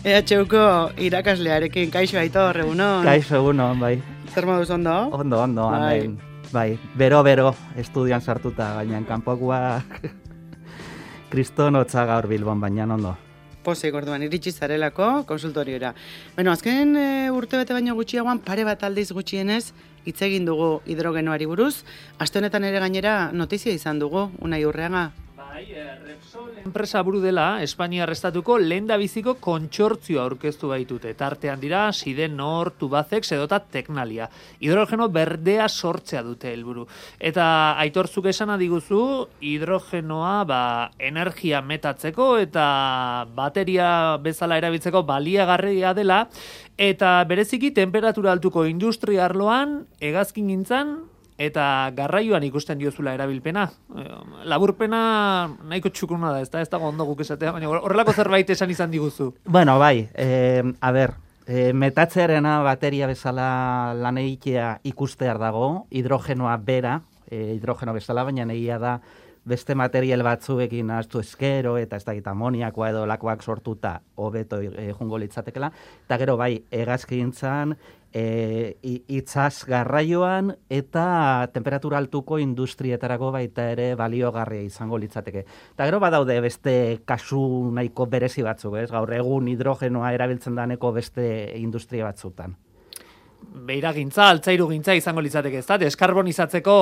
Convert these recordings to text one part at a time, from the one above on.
EHUko irakaslearekin, kaixo Aitor, egunon. Kaixo, egunon, bai. Zer moduz ondo? Ondo, hemen. Bai, bero, estudian sartuta, baina kanpokoa kriston hotza gaur Bilbon, baina ondo. Pozik, orduan, iritsi zarelako konsultoriora. Bueno, azken urte bete baino gutxiagoan, pare bat aldiz gutxienez, hitz egin dugu hidrogenoari buruz. Aste honetan ere gainera notizia izan dugu, Unai Urreaga. Repsol enpresa buru dela, Espainiar estatuko lehendabiziko kontsortzioa aurkeztu baitute. Tartean dira, Sidenor, Tubacex edota Tecnalia. Hidrogeno berdea sortzea dute helburu. Eta Aitortzuk esana diguzu, hidrogenoa energia metatzeko eta bateria bezala erabiltzeko baliagarria dela, eta bereziki temperatura altuko industria arloan, hegazkingintzan eta garraioan ikusten diozula erabilpena. Laburpena nahiko txukuna da, ez dago ondo guk esatea, baina horrelako zerbait esan izan diguzu. Bueno, bai, metatzearena bateria bezala lan egitea ikustear dago, hidrogenoa bera, hidrogeno bezala, baina egia da beste material batzuekin ahaztu eskero eta ez dakit amoniakoa edo lakoak sortuta hobeto jungo litzatekela, eta gero bai, hegazkintzan, itzaz garraioan eta temperatura altuko industrietarako baita ere baliogarria izango litzateke. Eta gero badaude beste kasu nahiko berezi batzuk, ez? Gaur egun hidrogenoa erabiltzen daneko beste industria batzutan. Beiragintza, altzairugintza izango litzateke, ez da? Deskarbonizatzeko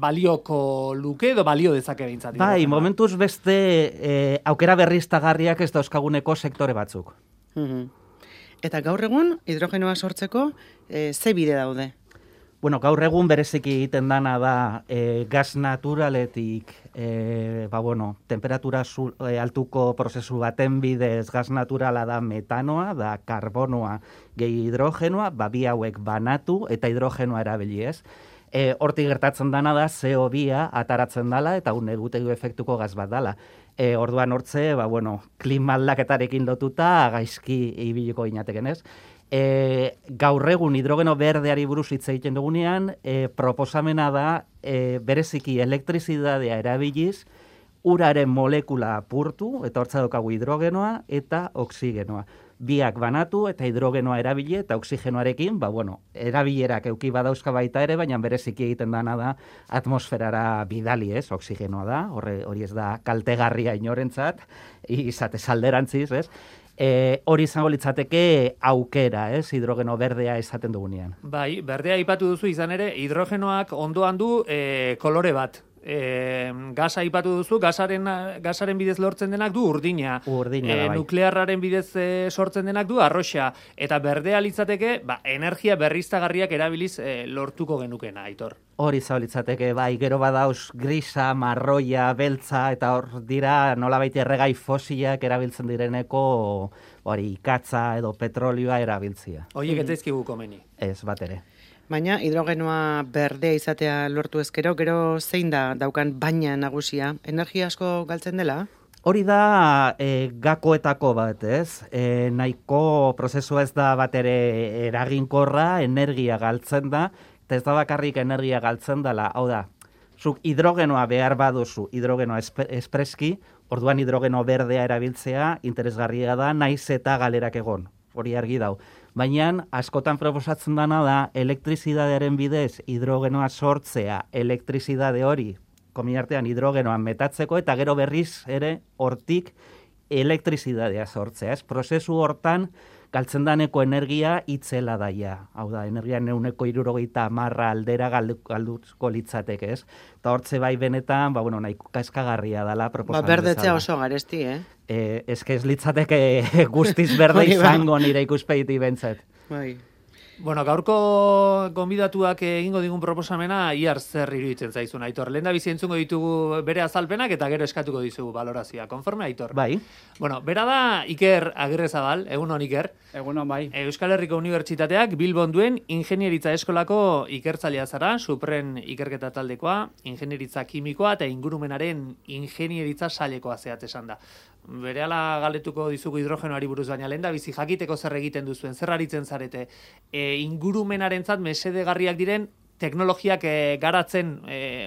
balioko luke edo balio dezake behintzat. Bai, momentuz beste aukera berriztagarriak ez dauzkaguneko sektore batzuk. Eta gaur egun, hidrogenoa sortzeko, ze bide daude? Bueno, gaur egun bereziki egiten dana da gas naturaletik, temperatura altuko prozesu baten bidez gas naturala da metanoa, da karbonoa gehi hidrogenoa, bi hauek banatu eta hidrogenoa erabili ez. Hortik gertatzen dana da CO2 ataratzen dala eta egutegi efektuko gas bat dala. Orduan hortze, klima aldaketarekin lotuta gaizki ibiliko ginateken ez. Gaur egun hidrogeno berdeari buruz hitz egiten dugunean, proposamena da bereziki elektrizidadea erabiliz, uraren molekula apurtu, eta hortza daukagu hidrogenoa eta oksigenoa. Biak banatu eta hidrogenoa erabili eta oksigenoarekin, erabilerak eduki badauzka baita ere, baina bereziki egiten dana da atmosferara bidali ez, oksigenoa da, hori ez da kaltegarria inorentzat, izate alderantziz, ez? Hori izango litzateke aukera, ez, hidrogeno berdea esaten dugunean. Bai, berdea aipatu duzu izan ere, hidrogenoak ondoan du kolore bat. Gasa aipatu duzu, gasaren bidez lortzen denak du urdina. Bai. Nuklearraren bidez sortzen denak du arroxa. Eta berdea litzateke, energia berriztagarriak erabiliz lortuko genukena, Aitor. Hori izango litzateke, bai, gero badauz grisa, marroia, beltza, eta hor dira nolabait erregai fosilak erabiltzen direneko hori ikatza edo petrolioa erabiltzia. Horiek ez zaizkigu komeni. Ez, bat ere. Baina hidrogenoa berdea izatea lortu ezkero, gero zein da daukan baina nagusia? Energia asko galtzen dela? Hori da gakoetako bat, ez? Nahiko prozesua ez da bat ere eraginkorra, energia galtzen da, eta ez da bakarrik energia galtzen dela. Hau da, zuk hidrogenoa behar baduzu, hidrogenoa espreski, orduan hidrogeno berdea erabiltzea interesgarria da, naiz eta galerak egon. Hori argi dau. Baina askotan proposatzen dana da elektrizidadearen bidez hidrogenoa sortzea, elektrizidade hori, kominartean hidrogenoan metatzeko eta gero berriz ere hortik elektrizidadea sortzea. Prozesu hortan galtzen daneko energia itzela daia. Hau da, energia 170 aldera galduko litzateke, ez? Eta hortze bai benetan, nahiko kaskagarria dela proposatzen bezala. Berdetzea oso garesti, Ez litzateke guztiz berde izango nire ikuspegi bentzat. Bai. Bueno, gaurko gonbidatuak egingo digun proposamena iar zer iruditzen zaizun, Aitor. Lehendabizi entzungo ditugu bere azalpenak eta gero eskatuko dizugu balorazioa. Konforme, Aitor? Bai. Bueno, bera da Iker Agirrezabal, egunon Iker. Egunon bai. Euskal Herriko Unibertsitateak Bilbon duen ingenieritza eskolako ikertzailea zara, supren ikerketa taldekoa, ingenieritza kimikoa eta ingurumenaren ingenieritza sailekoa zehat esan da. Berehala galetuko dizugu hidrogenoari buruz, baina lehendabizi jakiteko zer egiten duzuen, zer aritzen zarete, ingurumenarentzat mesedegarriak diren teknologiak garatzen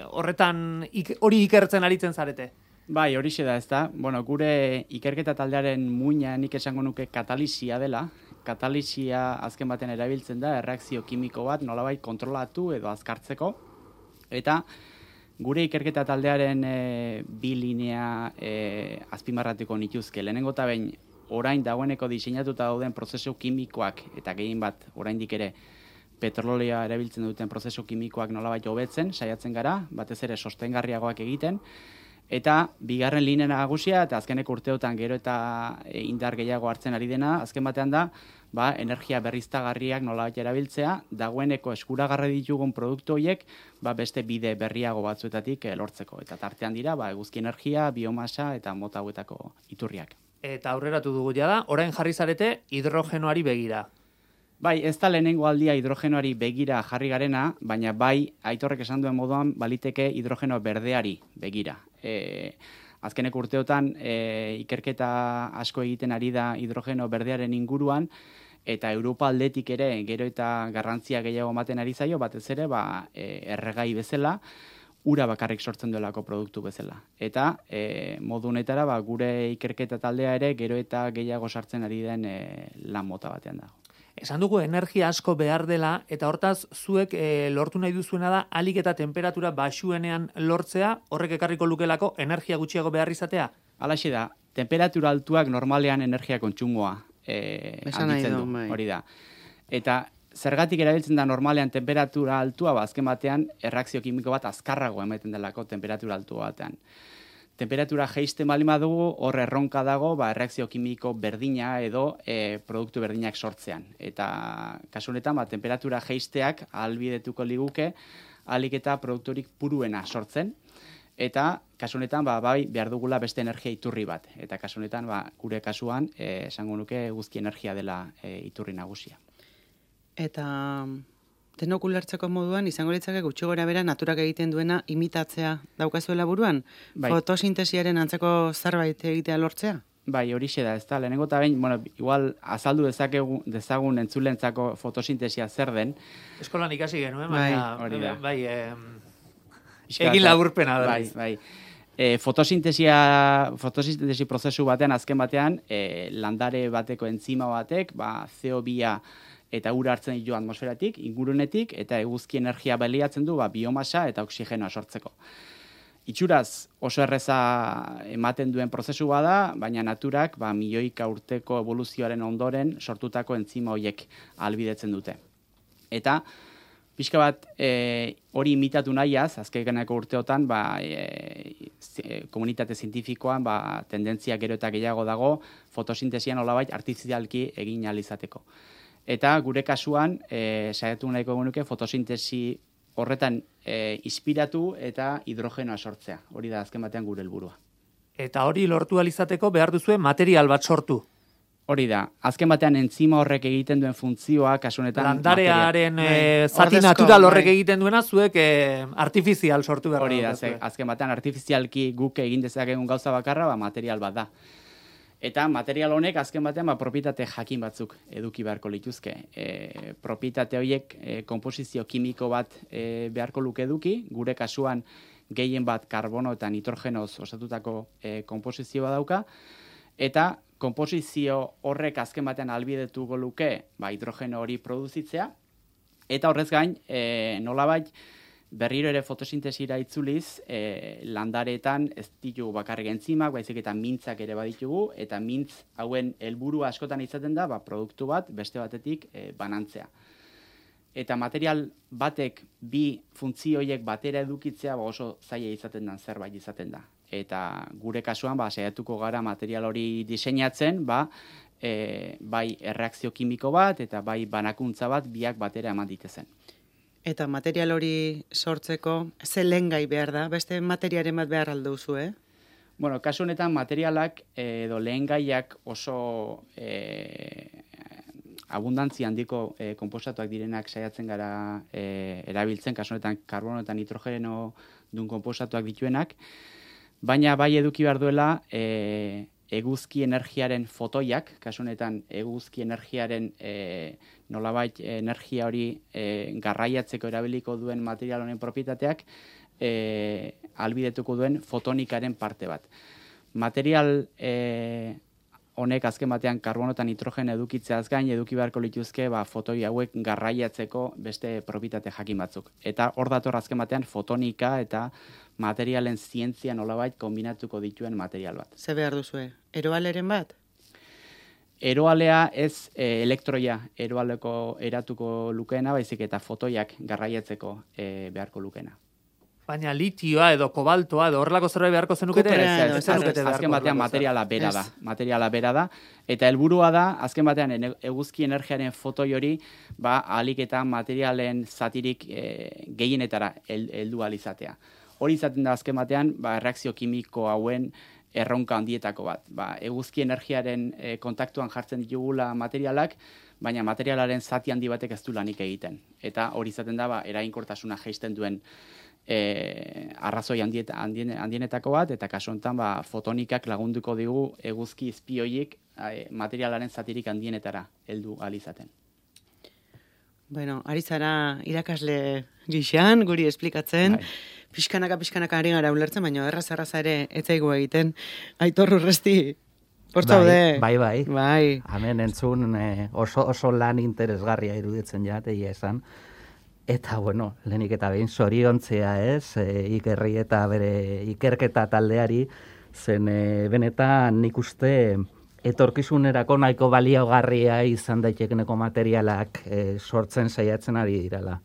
horretan hori ikertzen aritzen zarete. Bai, horixe da, ezta? Bueno, gure ikerketa taldearen muina nik esango nuke katalisia dela. Katalisia azken baten erabiltzen da, erreakzio kimiko bat nolabait kontrolatu edo azkartzeko. Eta gure ikerketa taldearen bi linea azpimarratuko nituzke. Lehenengo eta behin, orain dagoeneko diseinatuta dauden prozesu kimikoak, eta gehien bat oraindik ere petrolioa erabiltzen duten prozesu kimikoak nolabait hobetzen, saiatzen gara, batez ere sostengarriagoak egiten, eta bigarren linea nagusia, eta azkeneko urteotan gero eta indar gehiago hartzen ari dena, azken batean da, energia berriztagarriak nolabait erabiltzea, dagoeneko eskuragarri ditugun produktu horiek, beste bide berriago batzuetatik lortzeko. Eta tartean dira, eguzki energia, biomasa eta mota hauetako iturriak. Eta aurreratu dugu da, orain jarri zarete hidrogenoari begira. Bai, ez da lehenengo aldia hidrogenoari begira jarri garena, baina bai, Aitorrek esan duen moduan, baliteke hidrogeno berdeari begira. Azkeneko urteotan, ikerketa asko egiten ari da hidrogeno berdearen inguruan, eta Europa aldetik ere gero eta garrantzia gehiago ematen ari zaio, batez ere, erregai bezala, ura bakarrik sortzen duelako produktu bezala. Eta modu honetara gure ikerketa taldea ere gero eta gehiago sartzen ari den lan mota batean dago. Esan dugu energia asko behar dela, eta hortaz zuek lortu nahi duzuena da alik eta temperatura baxuenean lortzea, horrek ekarriko lukelako energia gutxiago behar izatea? Halaxe da, temperatura altuak normalean energia kontsumoa handitzen du, hori da. Eta zergatik erabiltzen da normalean temperatura altua, azken batean erreakzio kimiko bat azkarrago ematen delako temperatura altua batean. Temperatura jeisten baldin badugu, hor erronka dago, erreakzio kimiko berdina edo produktu berdinak sortzean. Eta kasu honetan, temperatura jeisteak ahalbidetuko liguke, ahalik eta produkturik puruena sortzen. Eta kasu honetan, behar dugula beste energia iturri bat. Eta kasu honetan, gure kasuan, esango nuke guzki energia dela iturri nagusia. Eta denok ulertzeko moduan, izango litzake gutxi gora bera naturak egiten duena imitatzea daukazuela buruan? Bai. Fotosintesiaren antzeko zerbait egitea lortzea? Bai, horixe da, ez da. Lehenengo eta behin, igual azaldu dezagun entzulentzako fotosintesia zer den. Eskolan ikasi genuen, baina bai, egin laburpena da. Bai. Fotosintesi prozesu batean, azken batean, landare bateko entzima batek, CO2 eta ura hartzen ditu atmosferatik, ingurunetik, eta eguzki energia baliatzen du biomasa eta oksigenoa sortzeko. Itxuraz oso erreza ematen duen prozesu bada, baina naturak milioika urteko evoluzioaren ondoren sortutako entzima horiek ahalbidetzen dute. Eta pixka bat hori imitatu nahiaz, azkeneko urteotan, komunitate zientifikoan tendentzia gero eta gehiago dago fotosintesian nolabait artifizialki egin ahal izateko. Eta gure kasuan, saiatu nahiko genuke fotosintesi horretan inspiratu eta hidrogenoa sortzea. Hori da azken batean gure helburua. Eta hori lortu ahal izateko behar duzue material bat sortu. Hori da, azken batean entzima horrek egiten duen funtzioa, kasu honetan landarearen zati natural horrek egiten duena, zuek artifizial sortu behar. Hori da, azken batean artifizialki guk egin dezakegun gauza bakarra, material bat da. Eta material honek azken batean propietate jakin batzuk eduki beharko lituzke. Propietate horiek konposizio kimiko bat beharko luke eduki, gure kasuan gehien bat karbono eta nitrogenoz osatutako konposizioa dauka, eta konposizio horrek azken batean ahalbidetuko luke hidrogeno hori produzitzea, eta horrez gain nolabait berriro ere fotosintesira itzuliz, landareetan ez ditugu bakarrik entzimak, baizik eta mintzak ere baditugu, eta mintz hauen helburua askotan izaten da, produktu bat beste batetik banantzea. Eta material batek bi funtzio horiek batera edukitzea oso zaila izaten da, zerbait izaten da. Eta gure kasuan saiatuko gara material hori diseinatzen, bai erreakzio kimiko bat eta bai banakuntza bat biak batera eman ditezen. Eta material hori sortzeko, ze lehengai behar da? Beste materiaren bat behar alduzu, Bueno, kasu honetan materialak edo lehengaiak oso abundantzia handiko konposatuak direnak saiatzen gara erabiltzen, kasu honetan karbono eta nitrogeno duen konposatuak dituenak, baina bai eduki behar duela eguzki energiaren fotoiak, kasu honetan eguzki energiaren nolabait energia hori garraiatzeko erabiliko duen material honen propietateak albidetuko duen fotonikaren parte bat. Material honek azken batean karbono eta nitrogen edukitzeaz gain eduki beharko lituzke fotoi hauek garraiatzeko beste propitate jakin batzuk. Eta hor dator azken batean fotonika eta materialen zientzia nolabait kombinatuko dituen material bat. Ze behar duzue? Eroaleren bat? Eroalea ez elektroia eroaleko eratuko lukeena, baizik eta fotoiak garraiatzeko beharko lukeena. Baina litioa edo kobaltoa edo horrelako zerbait beharko zenukete? Azken batean materiala bera da. Eta helburua da, azken batean eguzki energiaren fotoi hori, ahalik eta materialen zatirik gehienetara heldu ahal izatea. Hori izaten da azken batean, erreakzio kimiko hauen erronka handietako bat. Eguzki energiaren kontaktuan jartzen ditugula materialak, baina materialaren zati handi batek ez du lanik egiten. Eta hori izaten da, eraginkortasuna jaisten duen arrazoi handienetako bat, eta kasu honetan fotonikak lagunduko digu eguzki izpioiek materialaren zatirik handienetara heldu ahal izaten. Bueno, ari zara irakasle gixan, guri esplikatzen, pixkanaka ari gara ulertzen, baina erraza ere etzaigu egiten. Aitor Urresti, portzaude. Bai. Hemen entzun oso lan interesgarria iruditzen egia esan. Eta, bueno, lehenik eta behin zoriontzea Ikerri eta bere ikerketa taldeari, zen benetan nik uste etorkizunerako nahiko baliogarria izan daitekeneko materialak sortzen saiatzen ari direla.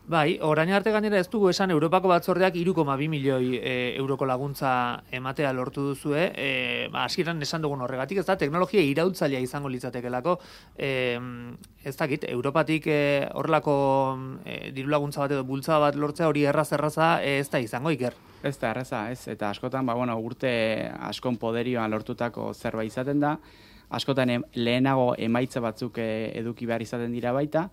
Bai, orain arte gainera ez dugu esan Europako batzordeak 3,2 milioi euroko laguntza ematea lortu duzue. Hasieran esan dugun horregatik, ez da, teknologia iraultzailea izango litzatekelako. Ez dakit, Europatik horrelako diru laguntza bat edo bultza bat lortzea hori erraza ez da izango, Iker. Ez da erraza, ez. Eta askotan, urte askon poderioan lortutako zerbait izaten da. Askotan lehenago emaitza batzuk eduki behar izaten dira baita.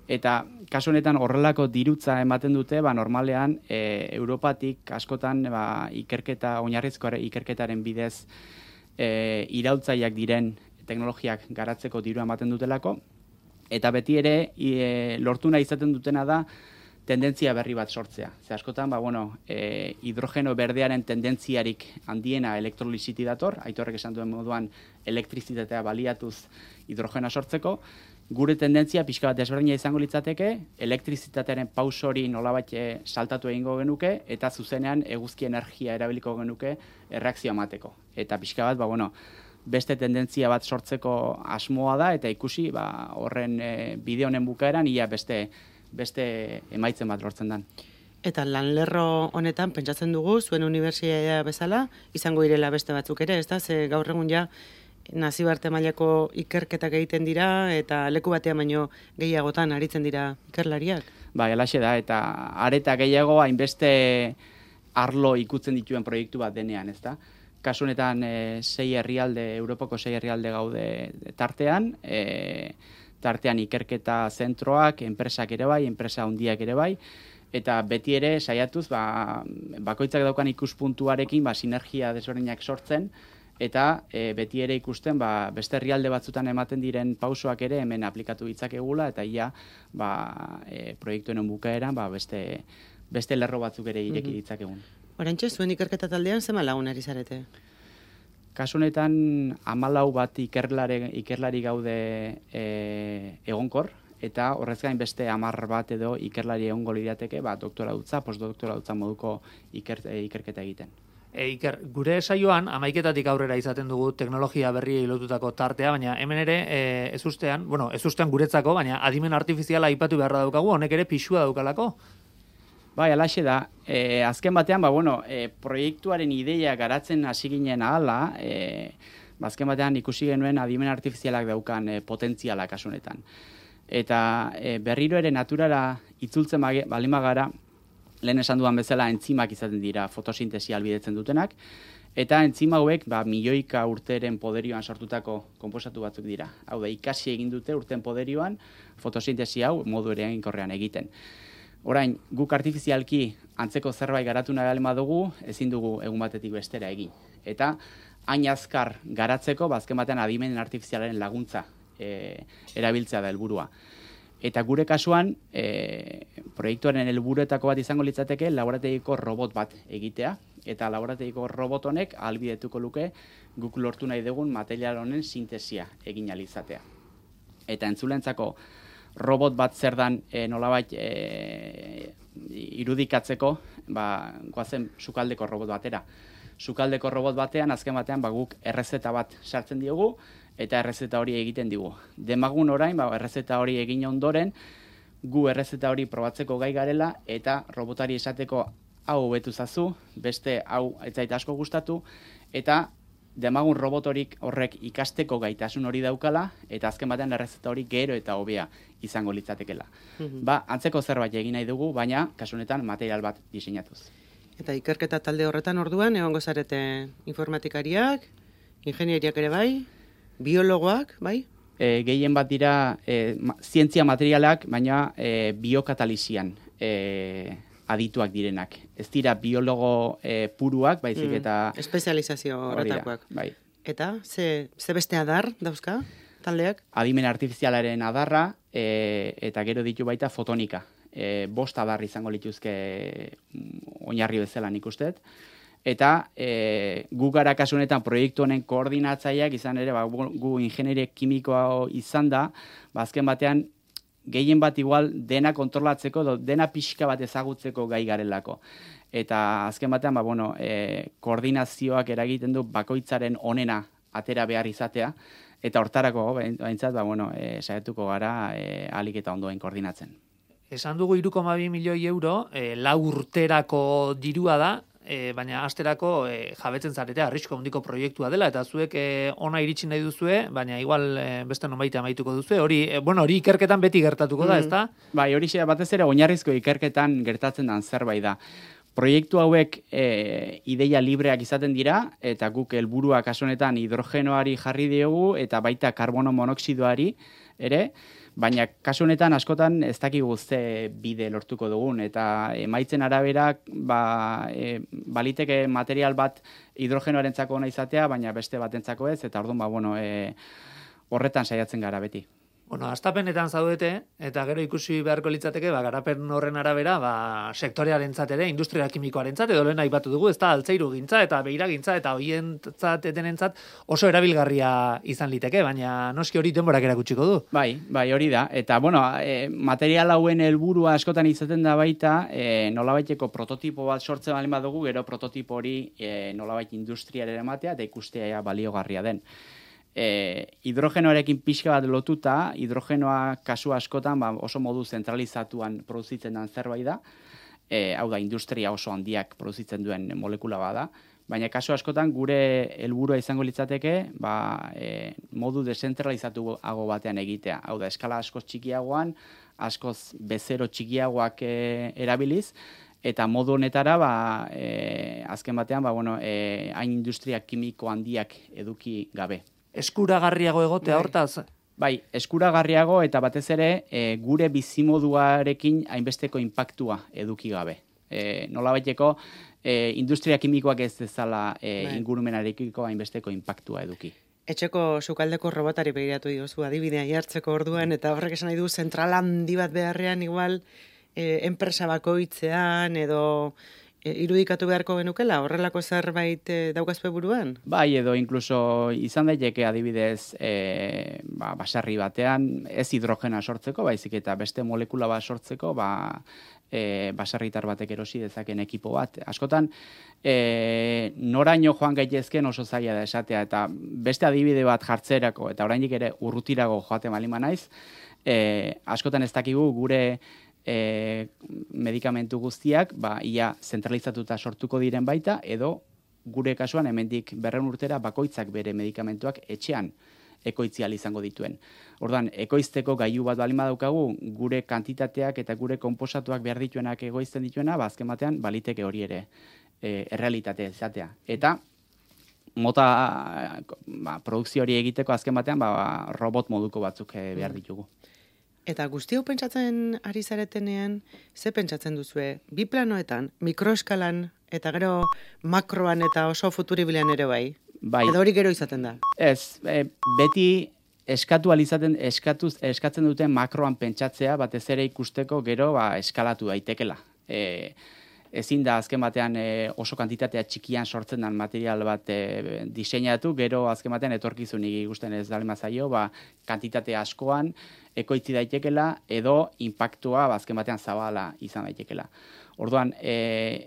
Eta kasu honetan horrelako dirutza ematen dute, normalean Europatik askotan ikerketa, oinarrizko ikerketaren bidez iraultzaileak diren teknologiak garatzeko dirua ematen dutelako. Eta beti ere lortu nahi izaten dutena da tendentzia berri bat sortzea. Ze askotan, hidrogeno berdearen tendentziarik handiena elektroliziti dator, Aitorrek esan duen moduan elektrizitatea baliatuz hidrogena sortzeko. Gure tendentzia pixka bat desberdina izango litzateke, elektrizitatearen pauso hori nolabait saltatu egingo genuke, eta zuzenean eguzki energia erabiliko genuke erreakzioa emateko. Eta pixka bat, beste tendentzia bat sortzeko asmoa da, eta ikusi horren bide honen bukaeran ia beste emaitzen bat lortzen dan. Eta lanlerro honetan pentsatzen dugu, zuen unibertsitatea bezala, izango direla beste batzuk ere, ez da? Ze gaur egun nazioarte mailako ikerketak egiten dira, eta leku batean baino gehiagotan aritzen dira ikerlariak. Halaxe da, eta areta gehiago hainbeste arlo ikutzen dituen proiektu bat denean, ez da? Kasu honetan Europako 6 herrialde gaude tartean, tartean ikerketa zentroak, enpresak ere bai, enpresa handiak ere bai, eta beti ere saiatuz, bakoitzak daukan ikuspuntuarekin, sinergia desberdinak sortzen, eta beti ere ikusten beste herrialde batzutan ematen diren pausoak ere hemen aplikatu ditzakegula, eta ia proiektuen bukaeran beste lerro batzuk ere ireki ditzakegun. Oraintxe, zuen ikerketa taldean zema lagun ari zarete? Kasu honetan 14 bat ikerlari gaude egonkor, eta horrez gain beste 10 bat edo ikerlari egongo lirateke, doktoradutza, postdoktoradutza moduko ikerketa egiten. Iker, gure saioan 11-etatik aurrera izaten dugu teknologia berriei lotutako tartea, baina hemen ere ez ustean guretzako, baina adimen artifiziala aipatu beharra daukagu, honek ere pixua daukalako. Halaxe da. Azken batean, proiektuaren ideia garatzen hasi ginen ahala, azken batean ikusi genuen adimen artifizialak daukan potentziala kasu honetan. Eta berriro ere naturara itzultzen baldin bagara, lehen esan dudan bezala entzimak izaten dira fotosintesia albidetzen dutenak, eta entzima hauek milioika urteren poderioan sortutako konposatu batzuk dira. Hau da, ikasi egin dute urten poderioan fotosintesia hau modu eraginkorrean egiten. Orain, guk artifizialki antzeko zerbait garatu nahi baldin badugu, ezin dugu egun batetik bestera egin. Eta hain azkar garatzeko, azken batean adimen artifizialaren laguntza erabiltzea da helburua. Eta gure kasuan, proiektuaren helburuetako bat izango litzateke laborategiko robot bat egitea, eta laborategiko robot honek ahalbidetuko luke guk lortu nahi dugun material honen sintesia egin ahal izatea. Eta entzulentzako robot bat zer dan nolabait irudikatzeko, goazen sukaldeko robot batera. Sukaldeko robot batean, azken batean, guk errezeta bat sartzen diogu, eta errezeta hori egiten digu. Demagun orain, errezeta hori egin ondoren, gu errezeta hori probatzeko gai garela, eta robotari esateko hau hobetu zazu, beste hau ez zait asko gustatu, eta demagun robot horrek ikasteko gaitasun hori daukala, eta azken batean errezeta hori gero eta hobea izango litzatekela. Antzeko zerbait egin nahi dugu, baina kasunetan material bat diseinatuz. Eta ikerketa talde horretan orduan, egongo zarete informatikariak, ingenieriak ere bai, biologoak, bai? Gehien bat dira zientzia materialak, baina biokatalizian adituak direnak. Ez dira biologo puruak, baizik eta... Espezializazio horretakoak. Bai. Eta, ze beste adar dauzka, taldeak? Adimen artifizialaren adarra, eta gero ditu baita fotonika. 5 adar izango lituzke oinarri bezala nik usteet. Eta gu gara kasunetan proiektu honen koordinatzaileak izan ere, gu ingenieria kimikoa izan da, azken batean gehien bat igual dena kontrolatzeko, dena pixka bat ezagutzeko gai garelako. Eta azken batean, koordinazioak eragiten du bakoitzaren onena atera behar izatea, eta hortarako, behintzat, saiatuko gara ahalik eta ondoen koordinatzen. Esan dugu 3,2 milioi euro, 4 urterako dirua da, baina asterako jabetzen zarete arrisku handiko proiektua dela, eta zuek ona iritsi nahi duzue, baina igual beste nonbait amaituko duzue, hori ikerketan beti gertatuko da, ezta? Bai, hori batez ere oinarrizko ikerketan gertatzen den zerbait da. Proiektu hauek ideia libreak izaten dira, eta guk helburua kasu honetan hidrogenoari jarri diogu, eta baita karbono monoxidoari ere, baina kasu honetan askotan ez dakigu ze bide lortuko dugun, eta emaitzen arabera baliteke material bat hidrogenoarentzako ona izatea, baina beste batentzako ez, eta orduan horretan saiatzen gara beti. Hastapenetan zaudete, eta gero ikusi beharko litzateke, garapen horren arabera, sektorearentzat ere, industria kimikoarentzat, edo lehen aipatu dugu, ez da altzairu gintza, eta beiragintza, eta hoientzat etenentzat oso erabilgarria izan liteke, baina noski hori denborak erakutsiko du. Bai, hori da, eta material hauen helburua askotan izaten da baita, nolabaiteko prototipo bat sortzen baldin badugu, gero prototipo hori nolabait industriaren ematea, eta ikustea baliogarria den. Hidrogenoarekin pixka bat lotuta, hidrogenoa kasu askotan oso modu zentralizatuan produzitzen den zerbait da, hau da, industria oso handiak produzitzen duen molekula bada, baina kasu askotan gure helburua izango litzateke modu dezentralizatuago batean egitea, hau da, eskala askoz txikiagoan, askoz bezero txikiagoak erabiliz, eta modu honetara, azken batean, hain industria kimiko handiak eduki gabe. Eskuragarriago egotea hortaz? Bai, eskuragarriago eta batez ere gure bizimoduarekin hainbesteko inpaktua eduki gabe. Nolabaiteko industria kimikoak ez dezala ingurumenarekiko hainbesteko inpaktua eduki. Etxeko sukaldeko robotari begiratu diozu adibidea jartzeko orduan, eta horrek esan nahi du zentral handi bat beharrean igual enpresa bakoitzean edo irudikatu beharko genukela, horrelako zerbait daukazpe buruan? Bai, edo inkluso izan daiteke adibidez basarri batean, ez hidrogena sortzeko, baizik eta beste molekula bat sortzeko, basarritar batek erosi dezaken ekipo bat. Askotan, noraino joan gaitezken oso zaila da esatea, eta beste adibide bat jartzerako, eta oraindik ere urrutirago joaten balima naiz, askotan ez dakigu gure medikamentu guztiak ia zentralizatuta sortuko diren baita, edo gure kasuan hemendik 200 urtera bakoitzak bere medikamentuak etxean ekoitzial izango dituen. Orduan, ekoizteko gailu bat balin badaukagu, gure kantitateak eta gure konposatuak behar dituenak egoizten dituena, azken batean baliteke hori ere errealitate izatea. Eta produkzio hori egiteko azken batean robot moduko batzuk behar ditugu. Eta guzti hau pentsatzen ari zaretenean, ze pentsatzen duzue? Bi planoetan, mikroeskalan, eta gero makroan eta oso futuribilean ere bai? Bai. Edo hori gero izaten da? Ez, beti eskatzen duten makroan pentsatzea, batez ere ikusteko gero eskalatu daitekela. Ezin da azken batean oso kantitatea txikian sortzen den material bat diseinatu, gero azken batean etorkizunik ikusten ez dalema zaio, kantitate askoan ekoitzi daitekela edo inpaktua azken batean zabala izan daitekela. Orduan,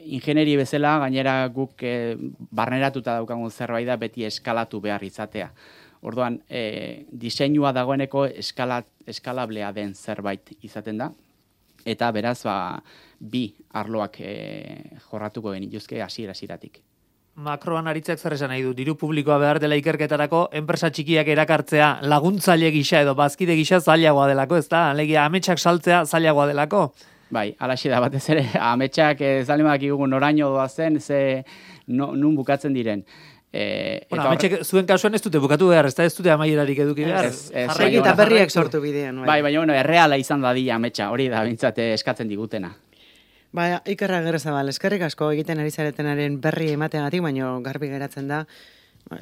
ingenieri bezala, gainera guk barneratuta daukagun zerbait da beti eskalatu behar izatea. Orduan, diseinua dagoeneko eskalablea den zerbait izaten da, eta beraz, bi arloak jorratuko genituzke hasiera-hasieratik. Makroan aritzak zer esan nahi du, diru publikoa behar dela ikerketarako, enpresa txikiak erakartzea laguntzaile gisa edo bazkide gisa zailagoa delako, ez da? Alegia, ametsak saltzea zailagoa delako? Bai, alaxe da batez ere, ametsak zalimak igugun noraino doazen, nun bukatzen diren. Ametsak zuen kasuan ez dute bukatu behar, ez dute amaierarik eduki behar. Jarraiki eta berriak sortu bidean. Bai, baina erreala izan dadila ametsa, hori da bintzate eskatzen digutena. Ikerra Gerrazabal, eskerrik asko egiten ari zaretenaren berri emateagatik, baina garbi geratzen da,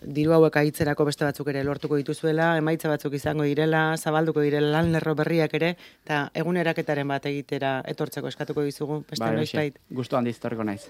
diru hauek aitzerako beste batzuk ere lortuko dituzuela, emaitza batzuk izango direla, zabalduko direla lan lerro berriak ere, eta eguneraketaren bat egitera etortzeko eskatuko dizugu, beste noizbait. Gustu handiz etorriko naiz.